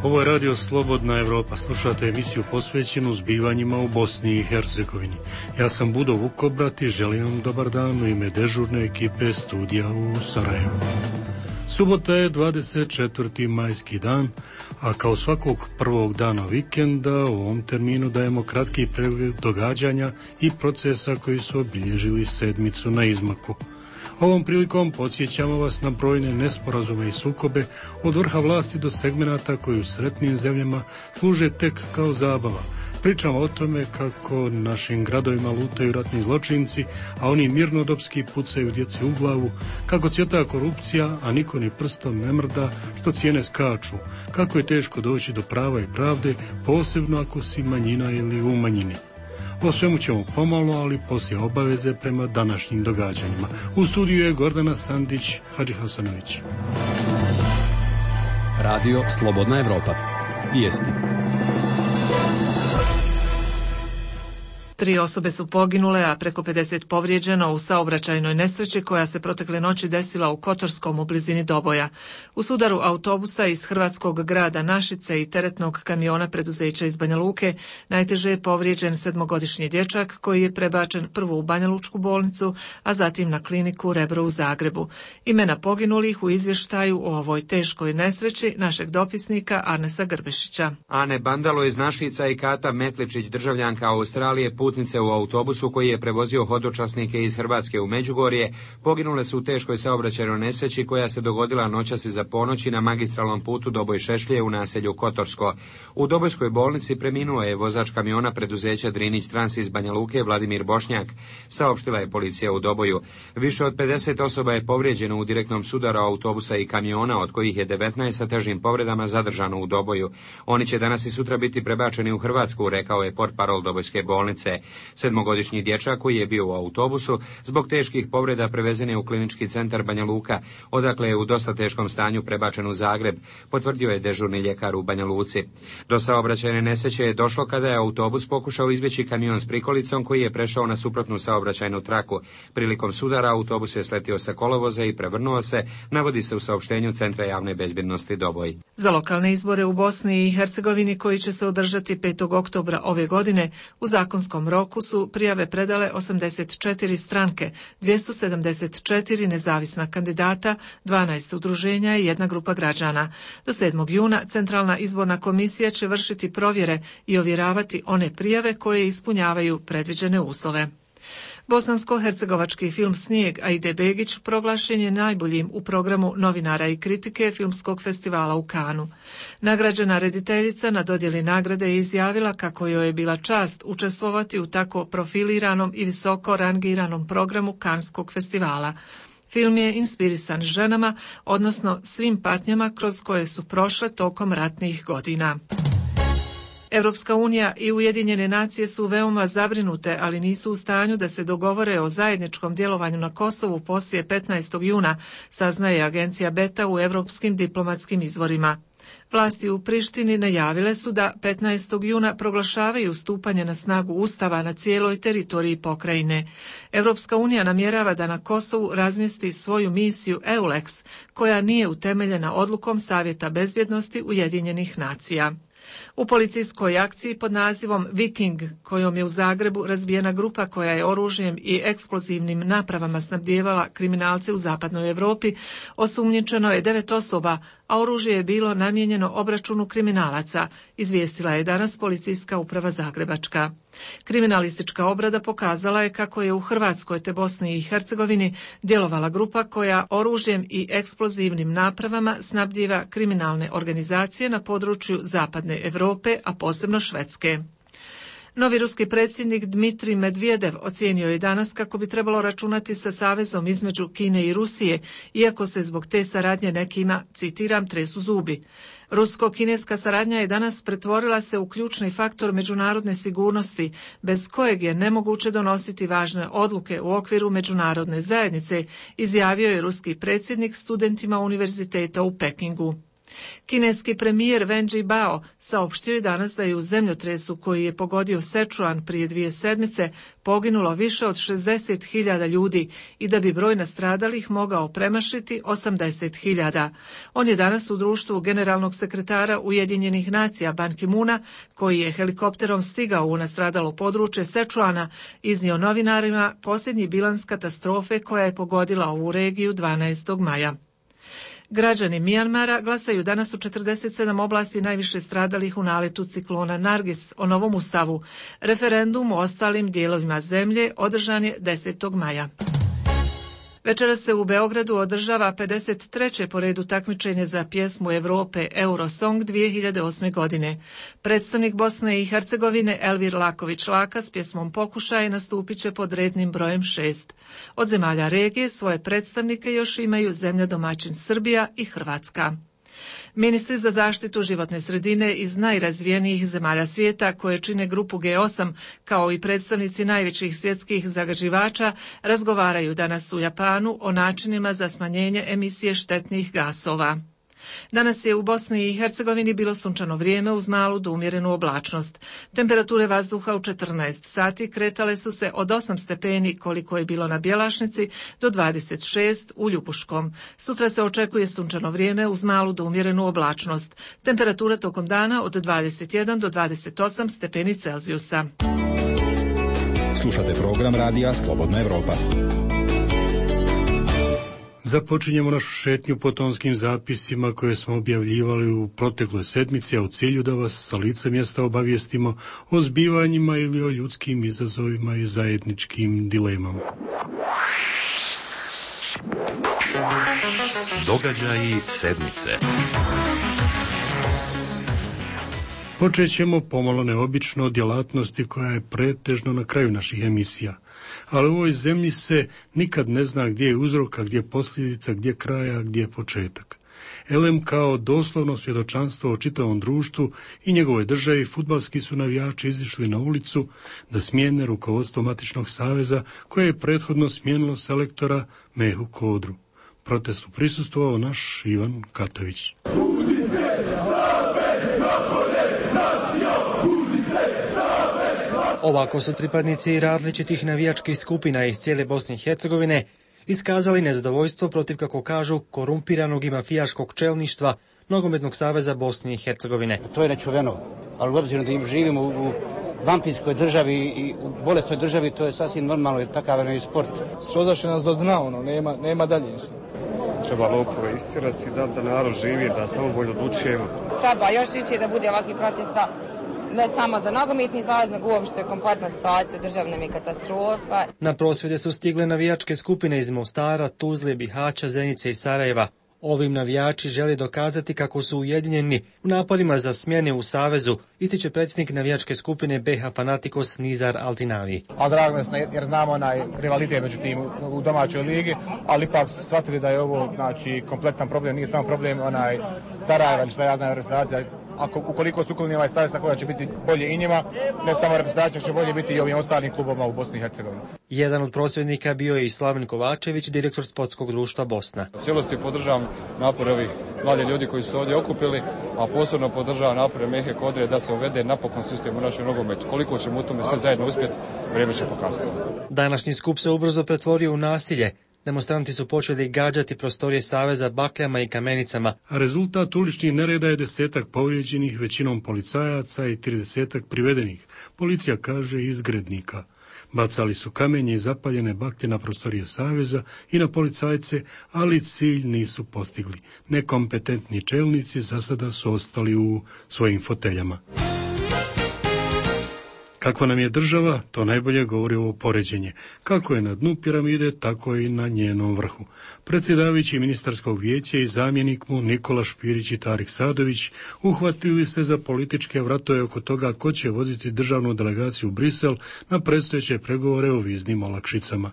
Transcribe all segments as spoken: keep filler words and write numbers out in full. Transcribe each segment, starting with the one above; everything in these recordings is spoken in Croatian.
Ovo je Radio Slobodna Evropa. Slušate emisiju posvećenu zbivanjima u Bosni i Hercegovini. Ja sam Budo Vukobrat i želim vam dobar dan u ime dežurne ekipe studija u Sarajevu. Subota je dvadeset četvrti majski dan, a kao svakog prvog dana vikenda u ovom terminu dajemo kratki pregled događanja i procesa koji su obilježili sedmicu na izmaku. Ovom prilikom podsjećamo vas na brojne nesporazume i sukobe od vrha vlasti do segmenata koji u sretnim zemljama služe tek kao zabava. Pričamo o tome kako našim gradovima lutaju ratni zločinci, a oni mirnodopski pucaju djeci u glavu, kako cvjeta korupcija, a niko ni prstom ne mrda, što cijene skaču, kako je teško doći do prava i pravde, posebno ako si manjina ili u manjini. O svemu ćemo pomalo, ali poslije obaveze prema današnjim događanjima. U studiju je Gordana Sandić, Hadži Hasanović. Radio Slobodna Evropa. Vijesti. Tri osobe su poginule, a preko pedeset povrijeđeno u saobraćajnoj nesreći koja se protekle noći desila u Kotorskom u blizini Doboja. U sudaru autobusa iz hrvatskog grada Našice i teretnog kamiona preduzeća iz Banja Luke najteže je povrijeđen sedmogodišnji dječak koji je prebačen prvo u Banja Lučku bolnicu, a zatim na kliniku Rebro u Zagrebu. Imena poginulih u izvještaju o ovoj teškoj nesreći našeg dopisnika Arnesa Grbešića. Ane Bandalo iz Našica i Kata Metličić, državljanka Australije, putnice u autobusu koji je prevozio hodočasnike iz Hrvatske u Međugorje, poginule su u teškoj saobraćajnoj nesreći koja se dogodila noćas iza ponoći na magistralnom putu Doboj-Šešlje u naselju Kotorsko. U Dobojskoj bolnici preminuo je vozač kamiona preduzeća Drinić Trans iz Banja Luke Vladimir Bošnjak, saopštila je policija u Doboju. Više od pedeset osoba je povrijeđeno u direktnom sudaru autobusa i kamiona, od kojih je devetnaest sa težim povredama zadržano u Doboju. Oni će danas i sutra biti prebačeni u Hrvatsku, rekao je portparol Dobojske bolnice. Sedmogodišnji dječak koji je bio u autobusu zbog teških povreda prevezen je u klinički centar Banja Luka, odakle je u dosta teškom stanju prebačen u Zagreb, potvrdio je dežurni ljekar u Banja Luci. Do saobraćajne nesreće je došlo kada je autobus pokušao izbjeći kamion s prikolicom koji je prešao na suprotnu saobraćajnu traku. Prilikom sudara autobus je sletio sa kolovoza i prevrnuo se, navodi se u saopštenju Centra javne bezbjednosti Doboj. Za lokalne izbore u Bosni i Hercegovini koji će se održati petog oktobra ove godine u zakonskom roku su prijave predale osamdeset četiri stranke, dvjesto sedamdeset četiri nezavisna kandidata, dvanaest udruženja i jedna grupa građana. Do sedmog juna Centralna izborna komisija će vršiti provjere i ovjeravati one prijave koje ispunjavaju predviđene uslove. Bosansko-hercegovački film Snijeg Aide Begić proglašen je najboljim u programu novinara i kritike Filmskog festivala u Kanu. Nagrađena rediteljica na dodjeli nagrade je izjavila kako joj je bila čast učestvovati u tako profiliranom i visoko rangiranom programu Kanskog festivala. Film je inspirisan ženama, odnosno svim patnjama kroz koje su prošle tokom ratnih godina. Europska unija i Ujedinjene nacije su veoma zabrinute, ali nisu u stanju da se dogovore o zajedničkom djelovanju na Kosovu poslije petnaestog juna, saznaje agencija Beta u europskim diplomatskim izvorima. Vlasti u Prištini najavile su da petnaestog juna proglašavaju stupanje na snagu Ustava na cijeloj teritoriji pokrajine. Europska unija namjerava da na Kosovu razmjesti svoju misiju EULEX, koja nije utemeljena odlukom Savjeta bezbjednosti Ujedinjenih nacija. U policijskoj akciji pod nazivom Viking, kojom je u Zagrebu razbijena grupa koja je oružjem i eksplozivnim napravama snabdijevala kriminalce u zapadnoj Europi, osumnjičeno je devet osoba, a oružje je bilo namijenjeno obračunu kriminalaca, izvijestila je danas policijska uprava Zagrebačka. Kriminalistička obrada pokazala je kako je u Hrvatskoj te Bosni i Hercegovini djelovala grupa koja oružjem i eksplozivnim napravama snabdijeva kriminalne organizacije na području zapadne Europe, a posebno Švedske. Novi ruski predsjednik Dmitrij Medvedev ocijenio je danas kako bi trebalo računati sa savezom između Kine i Rusije, iako se zbog te saradnje nekima, citiram, tresu zubi. Rusko-kineska saradnja je danas pretvorila se u ključni faktor međunarodne sigurnosti, bez kojeg je nemoguće donositi važne odluke u okviru međunarodne zajednice, izjavio je ruski predsjednik studentima univerziteta u Pekingu. Kineski premijer Wen Jiabao saopštio je danas da je u zemljotresu koji je pogodio Sečuan prije dvije sedmice poginulo više od šezdeset hiljada ljudi i da bi broj nastradalih mogao premašiti osamdeset hiljada. On je danas u društvu generalnog sekretara Ujedinjenih nacija Ban Ki-moona, koji je helikopterom stigao u nastradalo područje Sečuana, iznio novinarima posljednji bilans katastrofe koja je pogodila ovu regiju dvanaestog maja. Građani Mijanmara glasaju danas u četrdeset sedam oblasti najviše stradalih u naletu ciklona Nargis o novom ustavu. Referendum u ostalim dijelovima zemlje održan je desetog maja. Večeras se u Beogradu održava pedeset treće po redu takmičenje za pjesmu Europe Eurosong dvije hiljade osme. godine. Predstavnik Bosne i Hercegovine Elvir Laković-Laka s pjesmom Pokušaj nastupit će pod rednim brojem šest. Od zemalja regije svoje predstavnike još imaju zemlja domaćin Srbija i Hrvatska. Ministri za zaštitu životne sredine iz najrazvijenijih zemalja svijeta koje čine grupu G osam, kao i predstavnici najvećih svjetskih zagađivača, razgovaraju danas u Japanu o načinima za smanjenje emisije štetnih gasova. Danas je u Bosni i Hercegovini bilo sunčano vrijeme uz malu do umjerenu oblačnost. Temperature vazduha u četrnaest sati kretale su se od osam stepeni koliko je bilo na Bjelašnici do dvadeset šest u Ljubuškom. Sutra se očekuje sunčano vrijeme uz malu do umjerenu oblačnost. Temperatura tokom dana od dvadeset jedan do dvadeset osam stepeni Celzijusa. Slušate program radija Slobodna Evropa. Započinjemo našu šetnju po tonskim zapisima koje smo objavljivali u protekloj sedmici, a u cilju da vas sa lica mjesta obavijestimo o zbivanjima ili o ljudskim izazovima i zajedničkim dilemama. Događaji sedmice. Počet ćemo pomalo neobično od djelatnosti koja je pretežno na kraju naših emisija. Ali u ovoj zemlji se nikad ne zna gdje je uzrok, a gdje je posljedica, gdje je kraj, a gdje je početak. Elem kao doslovno svjedočanstvo o čitavom društvu i njegovoj državi, fudbalski su navijači izišli na ulicu da smijene rukovodstvo Matičnog saveza koje je prethodno smijenilo selektora Mehu Kodru. Protestu prisustvovao naš Ivan Katović. Ovako su pripadnici različitih navijačkih skupina iz cijele Bosne i Hercegovine iskazali nezadovoljstvo protiv, kako kažu, korumpiranog i mafijaškog čelništva Nogometnog saveza Bosne i Hercegovine. To je nečuveno, ali obzirom da im živimo u vampirskoj državi i u bolesnoj državi, to je sasvim normalno, jer takav je sport. Srozaše nas do dna, ono, nema, nema dalje. Treba lopove istirati, da, da narod živi, da samo bolje odlučujemo. Treba još više da bude ovakvih protesta, ne samo za nogometni savez, nego uopšte kompletna situacija, državna mi katastrofa. Na prosvjede su stigle navijačke skupine iz Mostara, Tuzle, Bihaća, Zenice i Sarajeva. Ovim navijači žele dokazati kako su ujedinjeni u naporima za smjene u savezu, ističe predsjednik navijačke skupine B H Fanatikos Nizar Altinavi. A drago nas jer znamo onaj rivalitet među tim u domaćoj ligi, ali ipak su shvatili da je ovo, znači, kompletan problem, nije samo problem onaj Sarajeva ili šta ja znam reprezentacija. Ako, ukoliko su ukloni ovaj savez, tako da će biti bolje i njima, ne samo reprezentacija, će bolje biti i ovim ostalim klubovima u Bosni i Hercegovini. Jedan od prosvjednika bio je i Slaven Kovačević, direktor Sportskog društva Bosna. U cijelosti podržavam napore ovih mladih ljudi koji su ovdje okupili, a posebno podržavam napore Mehe Kodre da se uvede napokon sistem u našem nogometu. Koliko ćemo u tome sve zajedno uspjeti, vrijeme će pokazati. Današnji skup se ubrzo pretvorio u nasilje. Demonstranti su počeli gađati prostorije saveza bakljama i kamenicama. A rezultat uličnih nereda je desetak povrijeđenih, većinom policajaca, i tridesetak privedenih. Policija kaže izgrednika. Bacali su kamenje i zapaljene baklje na prostorije saveza i na policajce, ali cilj nisu postigli. Nekompetentni čelnici za sada su ostali u svojim foteljama. Kakva nam je država, to najbolje govori ovo poređenje. Kako je na dnu piramide, tako i na njenom vrhu. Predsjedavajući ministarskog vijeća i zamjenik mu Nikola Špirić i Tarik Sadović uhvatili se za političke vratove oko toga ko će voditi državnu delegaciju u Brisel na predstojeće pregovore o viznim olakšicama.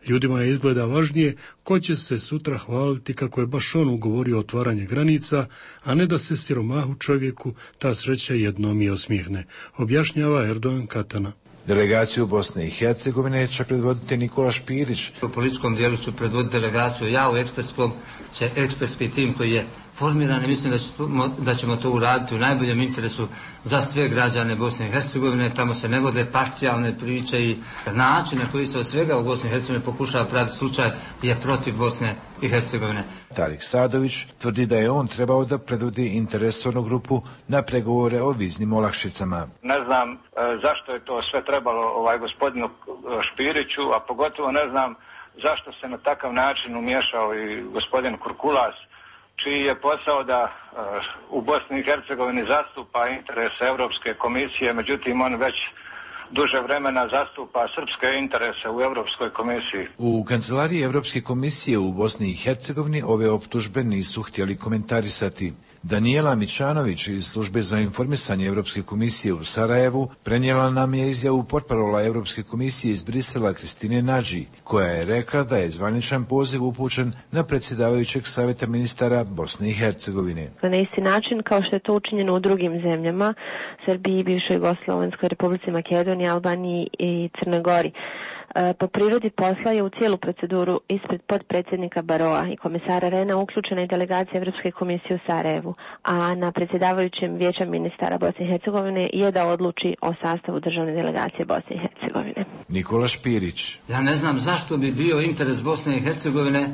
Ljudima je izgleda važnije ko će se sutra hvaliti kako je baš on ugovorio otvaranje granica, a ne da se siromahu čovjeku ta sreća jednom i osmihne, objašnjava Erdogan Katana. Delegaciju Bosne i Hercegovine će predvoditi Nikola Špirić. U političkom dijelu ću predvoditi delegaciju ja, u ekspertskom će ekspertski tim koji je formirane. Mislim da, ćemo, da ćemo to uraditi u najboljem interesu za sve građane Bosne i Hercegovine. Tamo se ne vode parcijalne priče i način na koji se od svega u Bosni i Hercegovini pokušava praviti slučaj je protiv Bosne i Hercegovine. Tarik Sadović tvrdi da je on trebao da predvodi interesornu grupu na pregovore o viznim olakšicama. Ne znam e, zašto je to sve trebalo ovaj gospodinu Špiriću, a pogotovo ne znam zašto se na takav način umiješao i gospodin Kurkulas, čiji je posao da e, u Bosni i Hercegovini zastupa interese Europske komisije, međutim on već duže vremena zastupa srpske interese u Europskoj komisiji. U kancelariji Europske komisije u Bosni i Hercegovini ove optužbe nisu htjeli komentarisati. Danijela Mičanović iz službe za informisanje Europske komisije u Sarajevu prenijela nam je izjavu portparola Europske komisije iz Brisela Kristine Nadži, koja je rekla da je zvaničan poziv upućen na predsjedavajućeg savjeta ministara Bosne i Hercegovine. Na isti način kao što je to učinjeno u drugim zemljama, Srbiji, bivšoj Jugoslovenskoj Republici Makedoniji, Albaniji i Crnoj Gori. Po prirodi posla je u cijelu proceduru ispred potpredsjednika Baroa i komisara Rena uključena i delegacija Europske komisije u Sarajevu, a na predsjedavajućem vijeća ministara Bosne i Hercegovine je da odluči o sastavu državne delegacije Bosne i Hercegovine. Nikola Špirić. Ja ne znam zašto bi bio interes Bosne i Hercegovine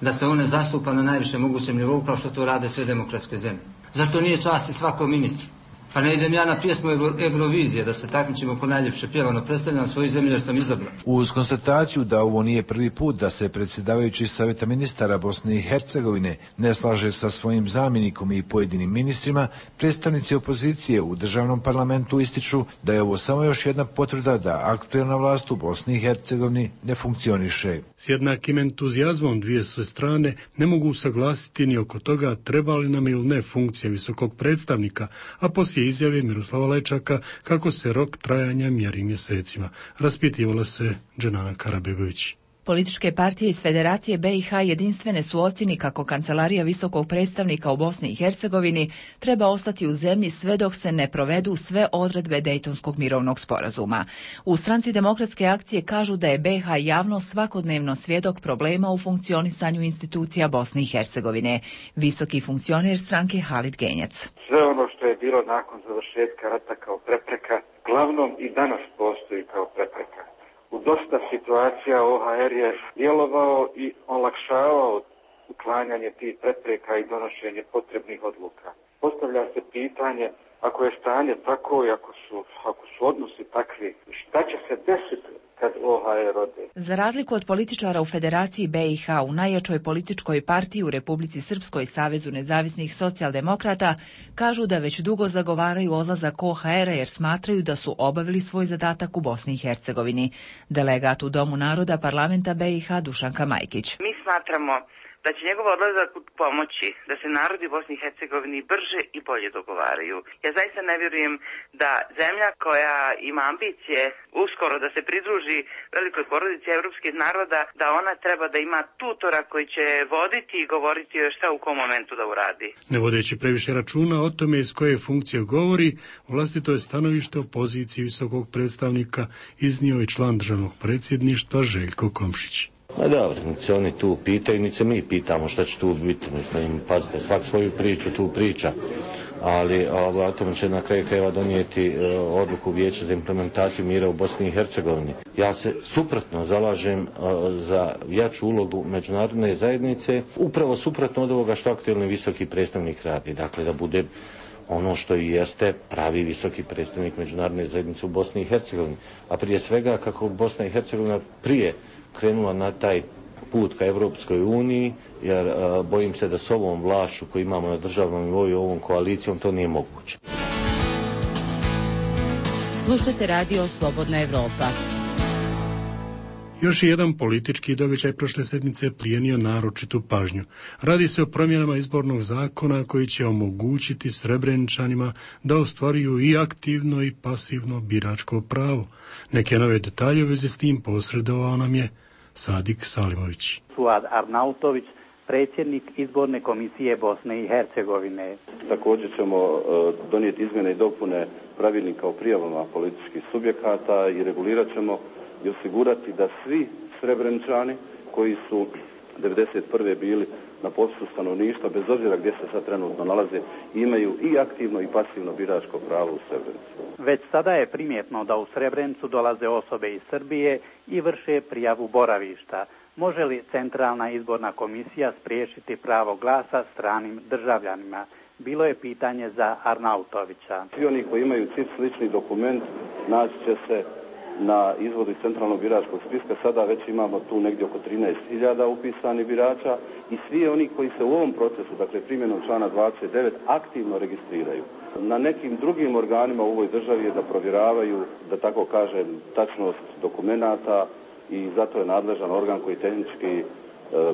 da se one zastupa na najvišem mogućem nivou kao što to rade sve demokratske zemlje. Zašto nije časti svakom ministru? Pa ne idem ja na pjesmu Eurovizije da se takmičimo ko najljepše pjevano, predstavljam svoju zemlju jer sam izabran. Uz konstataciju da ovo nije prvi put da se predsjedavajući savjeta ministara Bosne i Hercegovine ne slaže sa svojim zamjenikom i pojedinim ministrima, predstavnici opozicije u državnom parlamentu ističu da je ovo samo još jedna potvrda da aktuelna vlast u Bosni i Hercegovini ne funkcioniše. S jednakim entuzijazmom dvije sve strane ne mogu usaglasiti ni oko toga treba li nam ili ne funkcija visokog predstavnika, a poslije izjave Miroslava Lečaka kako se rok trajanja mjeri mjesecima. Raspitivala se Dženana Karabegović. Političke partije iz Federacije B i H jedinstvene su ocjeni kako Kancelarija visokog predstavnika u Bosni i Hercegovini treba ostati u zemlji sve dok se ne provedu sve odredbe Dejtonskog mirovnog sporazuma. U Stranci demokratske akcije kažu da je B i H javno svakodnevno svjedok problema u funkcionisanju institucija Bosne i Hercegovine. Visoki funkcioner stranke Halid Genjac. Sve ono što je bilo nakon završetka rata kao prepreka, glavnom i danas postoji kao prepreka. U dosta situacija O H R je djelovao i olakšavao uklanjanje tih prepreka i donošenje potrebnih odluka. Postavlja se pitanje, ako je stanje tako i ako su, ako su odnosi takvi, šta će se desiti kad O H R ode? Za razliku od političara u Federaciji B i H, u najjačoj političkoj partiji u Republici Srpskoj, Savezu nezavisnih socijaldemokrata, kažu da već dugo zagovaraju odlazak O H R-a jer smatraju da su obavili svoj zadatak u Bosni i Hercegovini. Delegat u Domu naroda parlamenta B i H Dušanka Majkić. Mi smatramo da će njegov odlazak pomoći da se narodi Bosni i Hercegovini brže i bolje dogovaraju. Ja zaista ne vjerujem da zemlja koja ima ambicije uskoro da se pridruži velikoj porodici evropskih naroda, da ona treba da ima tutora koji će voditi i govoriti joj šta u kom momentu da uradi. Ne vodeći previše računa o tome iz koje funkcije govori, vlastito je stanovište o poziciji visokog predstavnika iznio i član državnog predsjedništva Željko Komšić. Ma dobro, niti se oni tu pitaju, niti se mi pitamo šta će tu biti. Mislim, pazite, svak svoju priču tu priča, ali o tome će na kraju krajeva donijeti e, odluku Vijeća za implementaciju mira u Bosni i Hercegovini. Ja se suprotno zalažem e, za jaču ulogu međunarodne zajednice, upravo suprotno od ovoga što aktuelni visoki predstavnik radi. Dakle, da bude ono što i jeste pravi visoki predstavnik međunarodne zajednice u Bosni i Hercegovini. A prije svega kako Bosna i Hercegovina prije krenula na taj put ka Europskoj uniji, jer a, bojim se da s ovom vlašću koju imamo na državnom nivou i ovom koalicijom to nije moguće. Slušajte radio Slobodna Evropa. Još jedan politički događaj prošle sedmice plijenio naročitu pažnju. Radi se o promjenama izbornog zakona koji će omogućiti Srebreničanima da ostvaruju i aktivno i pasivno biračko pravo. Neke nove detalje u vezi s tim posredovao nam je Sadik Salimović. Suad Arnautović, predsjednik izborne komisije Bosne i Hercegovine. Također ćemo uh, donijeti izmjene i dopune pravilnika o prijavama političkih subjekata i regulirat ćemo i osigurati da svi Srebreničani koji su devedeset prve bili na popisu stanovništva, bez obzira gdje se sad trenutno nalaze, imaju i aktivno i pasivno biračko pravo u Srebrenici. Već sada je primjetno da u Srebrenicu dolaze osobe iz Srbije i vrše prijavu boravišta. Može li Centralna izborna komisija spriječiti pravo glasa stranim državljanima? Bilo je pitanje za Arnautovića. Svi oni koji imaju C I P slični dokument naći će se na izvodu iz centralnog biračkog spiska. Sada već imamo tu negdje oko trinaest hiljada upisanih birača i svi oni koji se u ovom procesu, dakle primjenom člana dvadeset devet, aktivno registriraju. Na nekim drugim organima u ovoj državi je da provjeravaju, da tako kažem, tačnost dokumenata i zato je nadležan organ koji tehnički e,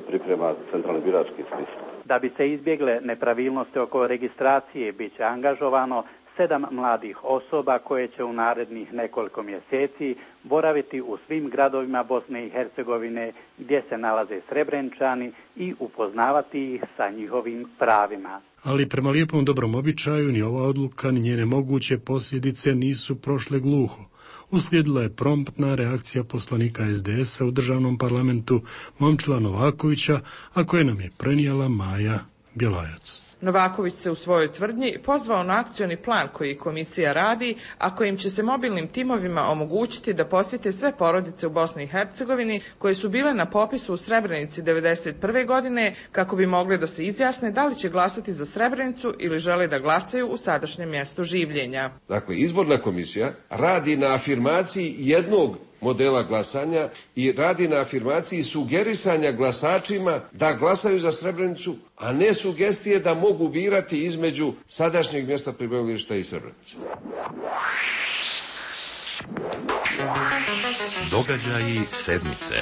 priprema centralni birački spisak. Da bi se izbjegle nepravilnosti oko registracije, bit će angažovano sedam mladih osoba koje će u narednih nekoliko mjeseci boraviti u svim gradovima Bosne i Hercegovine gdje se nalaze Srebrenčani i upoznavati ih sa njihovim pravima. Ali prema lijepom dobrom običaju ni ova odluka ni njene moguće posljedice nisu prošle gluho. Uslijedila je promptna reakcija poslanika es de es a u državnom parlamentu Momčila Novakovića, a koje nam je prenijela Maja Bjelajac. Novaković se u svojoj tvrdnji pozvao na akcioni plan koji komisija radi, a kojim će se mobilnim timovima omogućiti da posjete sve porodice u Bosni i Hercegovini koje su bile na popisu u Srebrenici devedeset prve godine kako bi mogli da se izjasne da li će glasati za Srebrenicu ili žele da glasaju u sadašnjem mjestu življenja. Dakle, izborna komisija radi na afirmaciji jednog modela glasanja i radi na afirmaciji sugerisanja glasačima da glasaju za Srebrenicu, a ne sugestije da mogu birati između sadašnjeg mjesta prebivališta i Srebrenice. Događaji sedmice.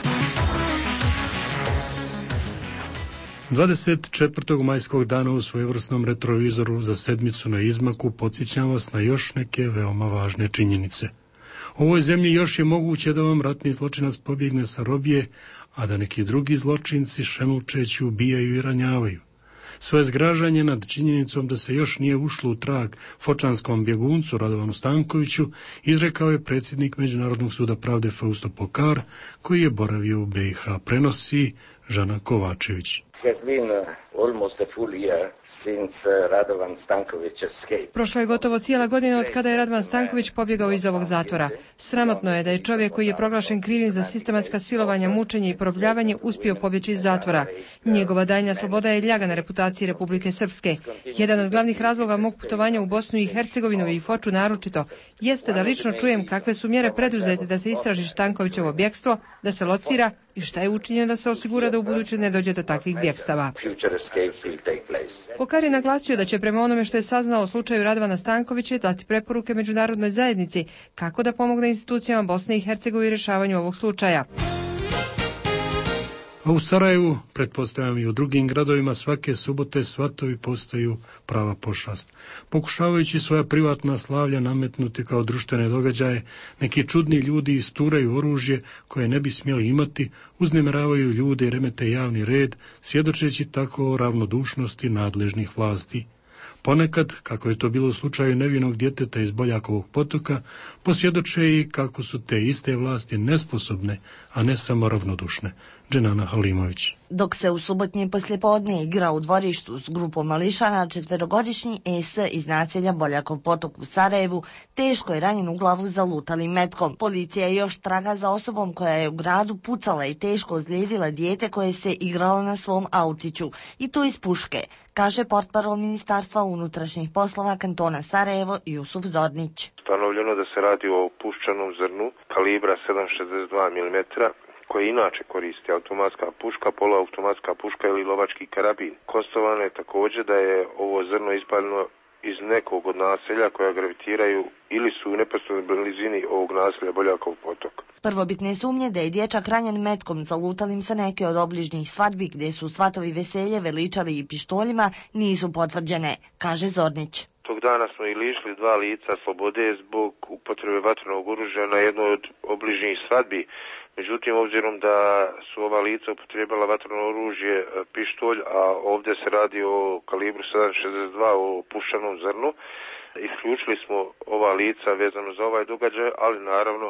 dvadeset četvrtog majskog dana u svojevrsnom retrovizoru za sedmicu na izmaku podsjećam vas na još neke veoma važne činjenice. U ovoj zemlji još je moguće da vam ratni zločinac pobjegne sa robije, a da neki drugi zločinci šemučeći ubijaju i ranjavaju. Svoje zgražanje nad činjenicom da se još nije ušlo u trag fočanskom bjeguncu Radovanu Stankoviću izrekao je predsjednik Međunarodnog suda pravde Fausto Pokar, koji je boravio u be i ha. Prenosi Žana Kovačević. Prošlo je gotovo cijela godina od kada je Radovan Stanković pobjegao iz ovog zatvora. Sramotno je da je čovjek koji je proglašen krivim za sistematska silovanja, mučenje i porobljavanje uspio pobjeći iz zatvora. Njegova daljnja sloboda je ljaga na reputaciji Republike Srpske. Jedan od glavnih razloga mog putovanja u Bosnu i Hercegovinu i Foču naročito jeste da lično čujem kakve su mjere preduzete da se istraži Stankovićevo bjekstvo, da se locira i šta je učinjeno da se osigura da u buduće ne dođe do takvih bjekstava. Pokar je naglasio da će prema onome što je saznao o slučaju Radovana Stankovića dati preporuke međunarodnoj zajednici kako da pomogne institucijama Bosne i Hercegovine u rješavanju ovog slučaja. A u Sarajevu, pretpostavljam i u drugim gradovima, svake subote svatovi postaju prava pošast. Pokušavajući svoja privatna slavlja nametnuti kao društvene događaje, neki čudni ljudi isturaju oružje koje ne bi smjeli imati, uznemiravaju ljude i remete javni red, svjedočeći tako o ravnodušnosti nadležnih vlasti. Ponekad, kako je to bilo u slučaju nevinog djeteta iz Boljakovog potoka, posvjedoče i kako su te iste vlasti nesposobne, a ne samo ravnodušne. Dženana Halimović. Dok se u subotnje poslijepodne igra u dvorištu s grupom mališana, četverogodišnji Es iz naselja Boljakov potok u Sarajevu teško je ranjen u glavu zalutalim metkom. Policija još traga za osobom koja je u gradu pucala i teško ozlijedila dijete koje se igralo na svom autiću, i to iz puške, kaže portparol Ministarstva unutrašnjih poslova kantona Sarajevo Jusuf Zornić. Ustanovljeno da se radi o puščanom zrnu kalibra sedam zarez šezdeset dva milimetra, koje inače koristi automatska puška, poluautomatska puška ili lovački karabin. Konstatovano je također da je ovo zrno ispaljeno iz nekog od naselja koja gravitiraju ili su u neposrednoj blizini ovog naselja Boljakov potok. Prvobitne sumnje da je dječak ranjen metkom zalutalim sa neke od obližnjih svadbi gdje su svatovi veselje veličali i pištoljima nisu potvrđene, kaže Zornić. Tog dana smo i lišili dva lica slobode zbog upotrebe vatrenog oružja na jednoj od obližnjih svadbi. Međutim, obzirom da su ova lica upotrijebala vatreno oružje, pištolj, a ovdje se radi o kalibru sedam zarez šezdeset dva, o puščanom zrnu, Isključili smo ova lica vezano za ovaj događaj, ali naravno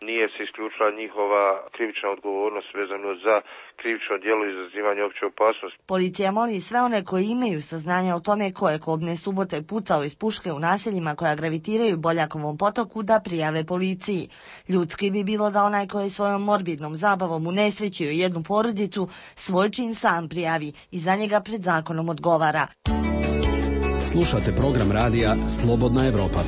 nije se isključila njihova krivična odgovornost vezano za krivično djelo izazivanja opće opasnosti. Policija moli sve one koji imaju saznanja o tome ko je kobne subote pucao iz puške u naseljima koja gravitiraju Boljakovom potoku da prijave policiji. Ljudski bi bilo da onaj koji je svojom morbidnom zabavom unesrećio jednu porodicu svoj čin sam prijavi i za njega pred zakonom odgovara. Slušate program radija Slobodna Evropa.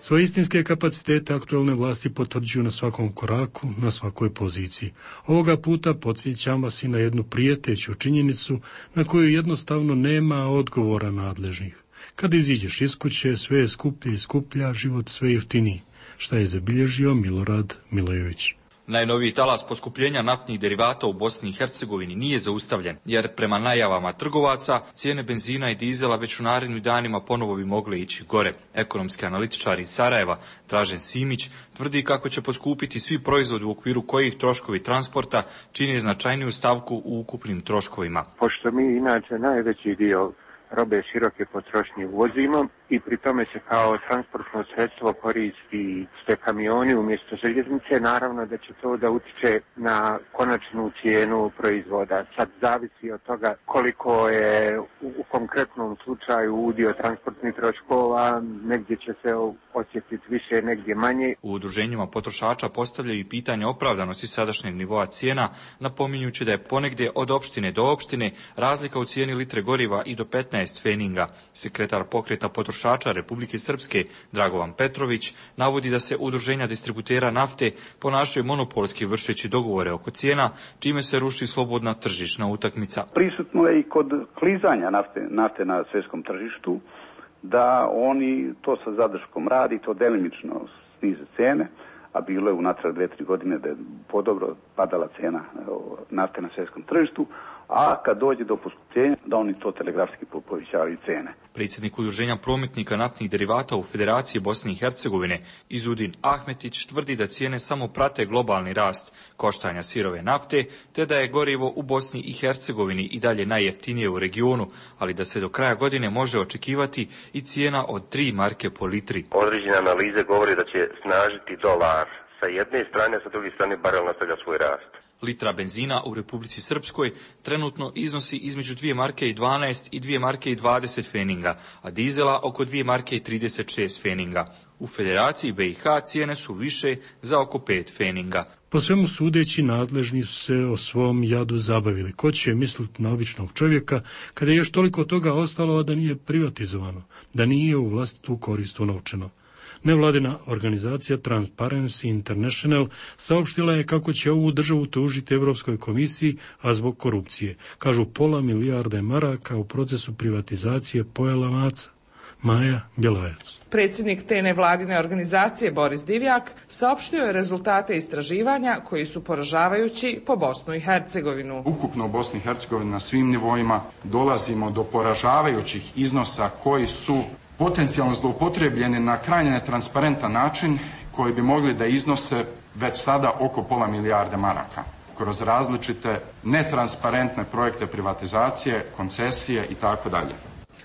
Svoje istinske kapacitete aktualne vlasti potvrđuju na svakom koraku, na svakoj poziciji. Ovoga puta podsjećam vas i na jednu prijeteću činjenicu na koju jednostavno nema odgovora nadležnih. Kad iziđeš iz kuće, sve je skuplje i skuplja, život sve jeftiniji. Šta je zabilježio Milorad Milojević? Najnoviji talas poskupljenja naftnih derivata u Bosni i Hercegovini nije zaustavljen, jer prema najavama trgovaca cijene benzina i dizela već u narednim danima ponovo bi mogle ići gore. Ekonomski analitičar iz Sarajeva, Dražen Simić, tvrdi kako će poskupiti svi proizvodi u okviru kojih troškovi transporta čine značajniju stavku u ukupnim troškovima. Pošto mi inače najveći dio robe široke potrošnje uvozimo i pri tome se kao transportno sredstvo koristi ste kamioni umjesto željeznice, naravno da će to da utiče na konačnu cijenu proizvoda. Sad zavisi od toga koliko je u, u konkretnom slučaju udio transportnih troškova, negdje će se osjetiti više, negdje manje. U udruženjima potrošača postavljaju i pitanje opravdanosti sadašnjeg nivoa cijena, napominjući da je ponegdje od opštine do opštine razlika u cijeni litre goriva i do petnaest feninga. Sekretar pokreta potrošača Republike Srpske, Dragovan Petrović, navodi da se udruženja distributera nafte ponašaju monopolski vršeći dogovore oko cijena, čime se ruši slobodna tržišna utakmica. Prisutno je i kod klizanja nafte, nafte na svjetskom tržištu, da oni to sa zadrškom radi, to delimično snize cijene, a bilo je unatrag dve, tri godine da je podobro padala cijena nafte na svjetskom tržištu, a kad dođe do poskupljenja, da oni to telegrafski povećavaju cijene. Predsjednik udruženja prometnika naftnih derivata u Federaciji Bosne i Hercegovine, Izudin Ahmetić, tvrdi da cijene samo prate globalni rast koštanja sirove nafte, te da je gorivo u Bosni i Hercegovini i dalje najjeftinije u regionu, ali da se do kraja godine može očekivati i cijena od tri marke po litri. Određene analize govore da će snažiti dolar sa jedne strane, a sa druge strane barel nastavlja svoj rast. Litra benzina u Republici Srpskoj trenutno iznosi između dvije marke i dvanaest i dvije marke i dvadeset feninga, a dizela oko dvije marke i trideset šest feninga. U Federaciji B i H cijene su više za oko pet feninga. Po svemu sudeći, nadležni su se o svom jadu zabavili. Ko će misliti na običnog čovjeka kada je još toliko toga ostalo, a da nije privatizovano, da nije u vlastitu korist unovčeno. Nevladina organizacija Transparency International saopštila je kako će ovu državu tužiti Evropskoj komisiji, a zbog korupcije. Kažu pola milijarde maraka u procesu privatizacije pojela maca. Maja Bjelajac. Predsjednik te nevladine organizacije Boris Divjak saopštio je rezultate istraživanja koji su poražavajući po Bosnu i Hercegovinu. Ukupno u Bosni i Hercegovini na svim nivoima dolazimo do poražavajućih iznosa koji su potencijalno zloupotrebljeni na krajnje netransparentan način, koji bi mogli da iznose već sada oko pola milijarde maraka kroz različite netransparentne projekte privatizacije, koncesije i tako dalje.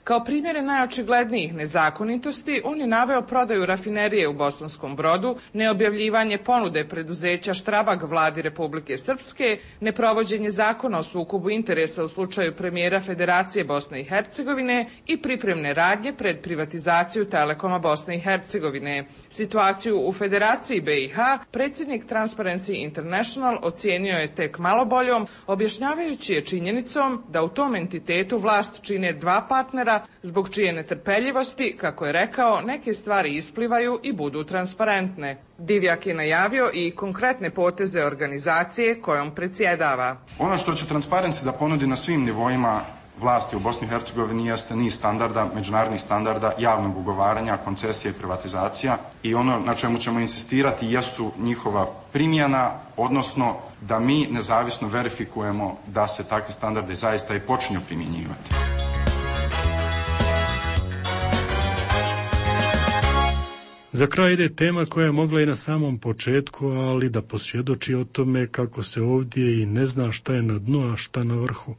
Kao primjere najočiglednijih nezakonitosti, on je naveo prodaju rafinerije u Bosanskom Brodu, neobjavljivanje ponude preduzeća Štrabag vladi Republike Srpske, neprovođenje zakona o sukobu interesa u slučaju premijera Federacije Bosne i Hercegovine i pripremne radnje pred privatizaciju Telekoma Bosne i Hercegovine. Situaciju u Federaciji B i H predsjednik Transparency International ocijenio je tek malo boljom, objašnjavajući je činjenicom da u tom entitetu vlast čine dva partnera, zbog čije netrpeljivosti, kako je rekao, neke stvari isplivaju i budu transparentne. Divjak je najavio i konkretne poteze organizacije kojom predsjedava. Ono što će Transparency da ponudi na svim nivoima vlasti u Bosni i Hercegovini jeste niz standarda, međunarodnih standarda javnog ugovaranja, koncesije i privatizacija, i ono na čemu ćemo insistirati jesu njihova primjena, odnosno da mi nezavisno verifikujemo da se takvi standardi zaista i počinju primjenjivati. Za kraj ide tema koja je mogla i na samom početku, ali da posvjedoči o tome kako se ovdje i ne zna šta je na dnu, a šta na vrhu.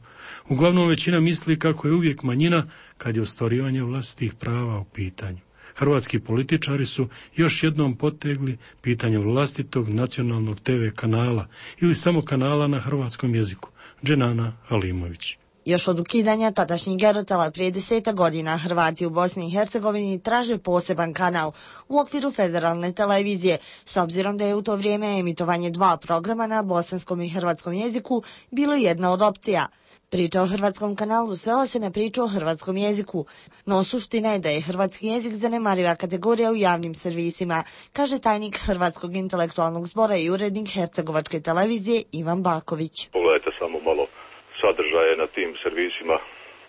Uglavnom većina misli kako je uvijek manjina kad je ostvarivanje vlastitih prava u pitanju. Hrvatski političari su još jednom potegli pitanje vlastitog nacionalnog te ve kanala ili samo kanala na hrvatskom jeziku. Dženana Halimović. Još od ukidanja tadašnjih Gerotela prije deseta godina Hrvati u Bosni i Hercegovini traže poseban kanal u okviru federalne televizije, s obzirom da je u to vrijeme emitovanje dva programa na bosanskom i hrvatskom jeziku bilo jedna od opcija. Priča o hrvatskom kanalu svela se na priču o hrvatskom jeziku, no suština je da je hrvatski jezik zanemariva kategorija u javnim servisima, kaže tajnik Hrvatskog intelektualnog zbora i urednik Hercegovačke televizije Ivan Baković. Pogledajte samo malo sadržaje na tim servisima,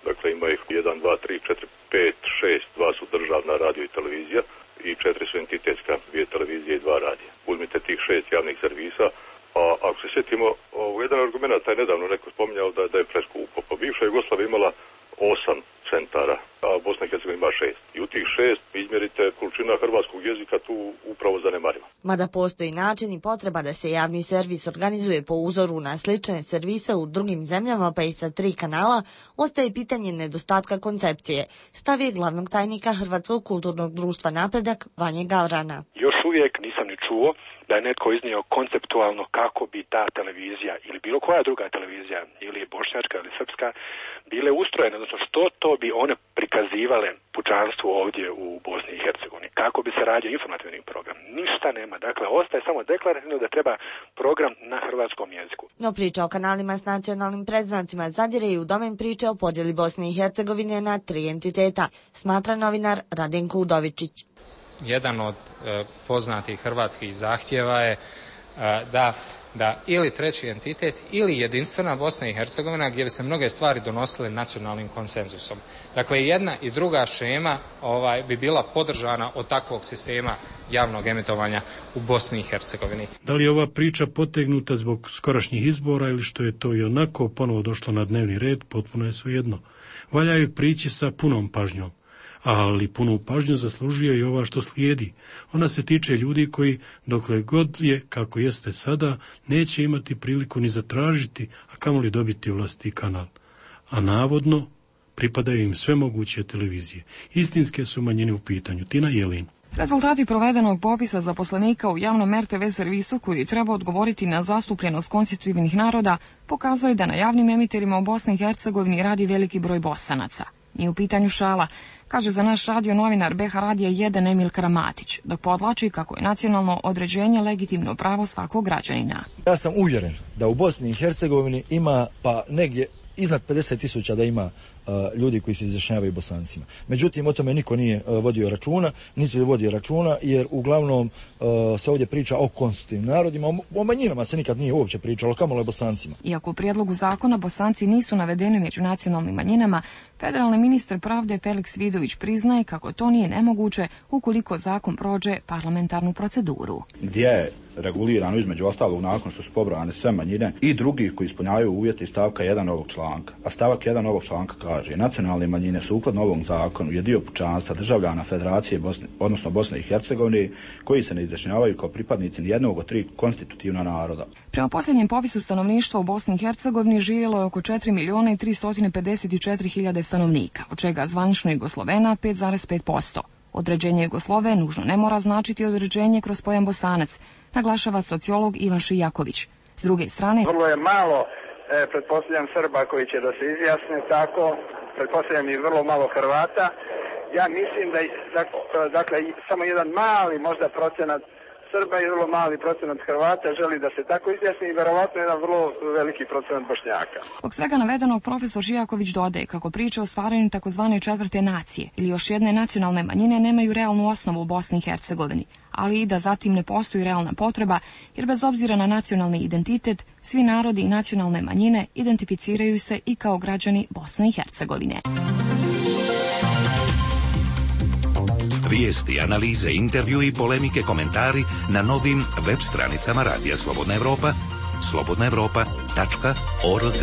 dakle ima ih jedan, dva, tri, četiri, pet, šest, dva su državna radio i televizija i četiri su entitetska, dvije televizije i dva radija. Uzmite tih šest javnih servisa, a ako se sjetimo, jedan argument je nedavno neko spominjao da, da je preskupo. Pa bivša Jugoslavija imala osam centara, a Bosna i Hercegovina ima šest. I u tih šest izmjerite količina hrvatskog jezika tu upravo zanemariva. Mada postoji način i potreba da se javni servis organizuje po uzoru na slične servise u drugim zemljama pa i sa tri kanala, ostaje pitanje nedostatka koncepcije, stav je glavnog tajnika Hrvatskog kulturnog društva Napredak Vanje Gavrana. Još uvijek nisam ni čuo da je netko iznio konceptualno kako bi ta televizija ili bilo koja druga televizija, ili bošnjačka ili srpska, bile ustrojene, odnosno što to bi one prikazivale pučanstvu ovdje u Bosni i Hercegovini, kako bi se radio informativni program. Ništa nema, dakle ostaje samo deklarativno da treba program na hrvatskom jeziku. No priča o kanalima s nacionalnim predznacima zadire i u domen priče o podjeli Bosne i Hercegovine na tri entiteta, smatra novinar Radenko Udovičić. Jedan od e, poznatih hrvatskih zahtjeva je e, da, da ili treći entitet ili jedinstvena Bosna i Hercegovina gdje bi se mnoge stvari donosile nacionalnim konsenzusom. Dakle, jedna i druga šema ovaj, bi bila podržana od takvog sistema javnog emitovanja u Bosni i Hercegovini. Da li je ova priča potegnuta zbog skorašnjih izbora ili što je to i onako ponovo došlo na dnevni red, potpuno je svejedno. Valja je prići sa punom pažnjom. Ali punu pažnju zaslužuje i ova što slijedi. Ona se tiče ljudi koji, dokle god je kako jeste sada, neće imati priliku ni zatražiti, a kamoli dobiti vlastiti kanal. A navodno pripadaju im sve moguće televizije. Istinske su manjine u pitanju. Tina Jelin. Rezultati provedenog popisa zaposlenika u javnom er te ve servisu koji treba odgovoriti na zastupljenost konstitutivnih naroda pokazuje da na javnim emiterima u Bosni i Hercegovini radi veliki broj Bosanaca. Nije u pitanju šala, kaže za naš radio novinar be ha radija jedan Emil Kramatić, dok podlači kako je nacionalno određenje legitimno pravo svakog građanina. Ja sam uvjeren da u Bosni i Hercegovini ima pa negdje iznad pedeset tisuća da ima uh, ljudi koji se izjašnjavaju Bosancima. Međutim, o tome niko nije uh, vodio računa, niti vodio računa, jer uglavnom uh, se ovdje priča o konstitutivnim narodima, o, o manjinama se nikad nije uopće pričalo, kamoli o Bosancima. Iako u prijedlogu zakona Bosanci nisu navedeni među nacionalnim manjinama, federalni ministar pravde Felix Vidović priznaje kako to nije nemoguće ukoliko zakon prođe parlamentarnu proceduru. Gdje je regulirano između ostalog nakon što su pobrojane sve manjine i drugih koji ispunjavaju uvjete iz stavka jedan ovog članka. A stavak jedan ovog članka kaže: nacionalne manjine sukladno ovom zakonu je dio pučanstva državljana Federacije Bosne, odnosno Bosne i Hercegovine, koji se ne izjašnjavaju kao pripadnici nijednog od tri konstitutivna naroda. Prema posljednjem popisu stanovništva u Bosni i Hercegovini živjelo je oko četiri milijuna i tristo pedeset četiri hiljade stanovnika, od čega zvanično Jugoslovena pet zarez pet posto. Određenje Jugoslove nužno ne mora značiti određenje kroz pojam Bosanac, naglašava sociolog Ivan Šijaković. S druge strane, vrlo je malo, e, pretpostavljam, Srba koji će da se izjasne tako, pretpostavljam i vrlo malo Hrvata. Ja mislim da, dakle, samo jedan mali možda procenat Srba i vrlo mali procenat Hrvata želi da se tako izjasni i verovatno jedan vrlo veliki procenat Bošnjaka. Zbog svega navedenog profesor Žijaković dodaje kako priče o stvaranju takozvane četvrte nacije ili još jedne nacionalne manjine nemaju realnu osnovu u Bosni i Hercegovini, ali i da zatim ne postoji realna potreba, jer bez obzira na nacionalni identitet, svi narodi i nacionalne manjine identificiraju se i kao građani Bosne i Hercegovine. Vijesti, analize, intervju i polemike, komentari na novim web stranicama Radija Slobodna Evropa, slobodna evropa tačka org.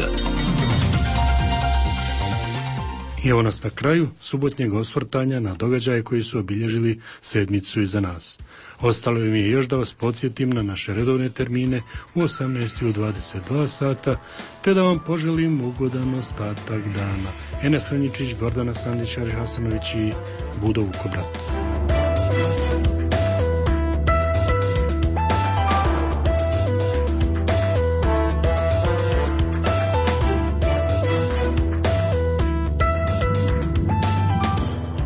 I evo nas na kraju subotnjeg osvrtanja na događaje koji su obilježili sedmicu iza nas. Ostalo mi je još da vas podsjetim na naše redovne termine u osamnaest i u dvadeset dva sata, te da vam poželim ugodan ostatak dana. Enes Ranjičić, Gordana Sandić, Ari Hasanović i Budo Vukobrat.